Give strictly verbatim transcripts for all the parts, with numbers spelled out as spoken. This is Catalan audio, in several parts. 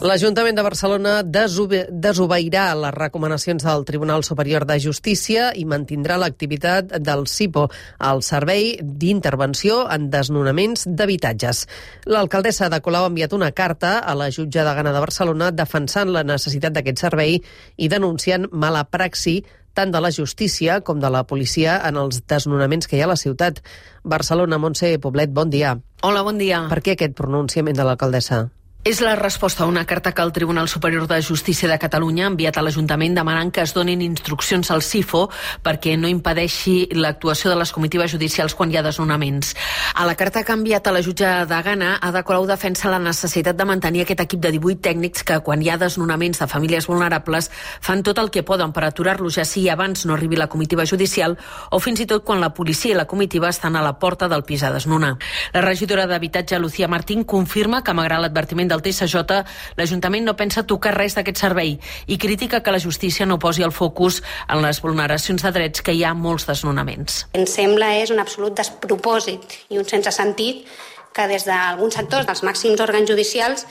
L'Ajuntament de Barcelona desobe desobeirà les recomanacions del Tribunal Superior de Justícia i mantindrà l'activitat del SIPO, el Servei d'Intervenció en Desnonaments d'Habitatges. L'alcaldessa de Colau ha enviat una carta a la jutge de Gana de Barcelona defensant la necessitat d'aquest servei i denunciant mala praxi tant de la justícia com de la policia en els desnonaments que hi ha a la ciutat. Barcelona, Montse Poblet, bon dia. Hola, bon dia. Per què aquest pronunciament de l'alcaldessa? És la resposta a una carta que el Tribunal Superior de Justícia de Catalunya ha enviat a l'Ajuntament demanant que es donin instruccions al SIFO perquè no impedeixi l'actuació de les comitatives judicials quan hi ha desnonaments. A la carta que ha enviat a la jutge de Gana, Ada Colau defensa la necessitat de mantenir aquest equip de divuit tècnics que, quan hi ha desnonaments de famílies vulnerables, fan tot el que poden per aturar-los, ja sigui abans no arribi la comitiva judicial o fins i tot quan la policia i la comitiva estan a la porta del pis a desnonar. La regidora d'Habitatge, Lucía Martín, confirma que, malgrat l'advertiment del T S J, l'Ajuntament no pensa tocar res d'aquest servei i critica que la justícia no posi el focus en les vulneracions de drets que hi ha molts desnonaments. Ens sembla és un absolut despropòsit i un sense sentit que des d'alguns sectors dels màxims òrgans judicials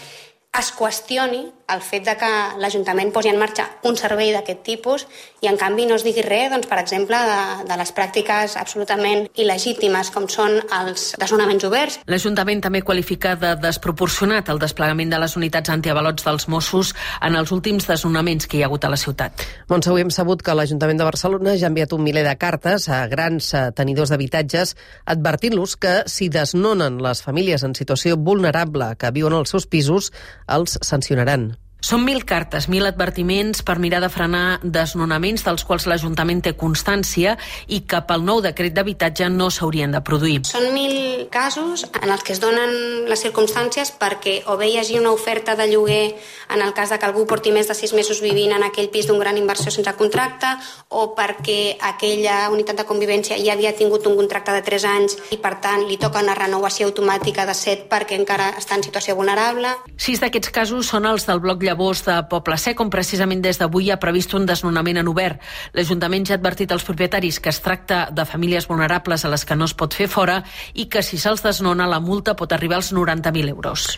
es qüestioni el fet de que l'Ajuntament posi en marxa un servei d'aquest tipus i, en canvi, no es digui res, doncs, per exemple, de, de les pràctiques absolutament il·legítimes com són els desnonaments oberts. L'Ajuntament també qualifica de desproporcionat el desplegament de les unitats antiavalots dels Mossos en els últims desnonaments que hi ha hagut a la ciutat. Montse, avui hem sabut que l'Ajuntament de Barcelona ja ha enviat un miler de cartes a grans tenidors d'habitatges advertint-los que, si desnonen les famílies en situació vulnerable que viuen als seus pisos, els sancionaran. Són mil cartes, mil advertiments per mirar de frenar desnonaments dels quals l'Ajuntament té constància i que pel nou decret d'habitatge no s'haurien de produir. Són mil casos en els que es donen les circumstàncies perquè o bé hi hagi una oferta de lloguer en el cas de que algú porti més de sis mesos vivint en aquell pis d'un gran inversió sense contracte o perquè aquella unitat de convivència ja havia tingut un contracte de tres anys i, per tant, li toca una renovació automàtica de set perquè encara està en situació vulnerable. Sis d'aquests casos són els del bloc Llavors de Poble Sec, on precisament des d'avui ha previst un desnonament en obert. L'Ajuntament ja ha advertit als propietaris que es tracta de famílies vulnerables a les que no es pot fer fora i que, si se'ls desnona, la multa pot arribar als noranta mil euros.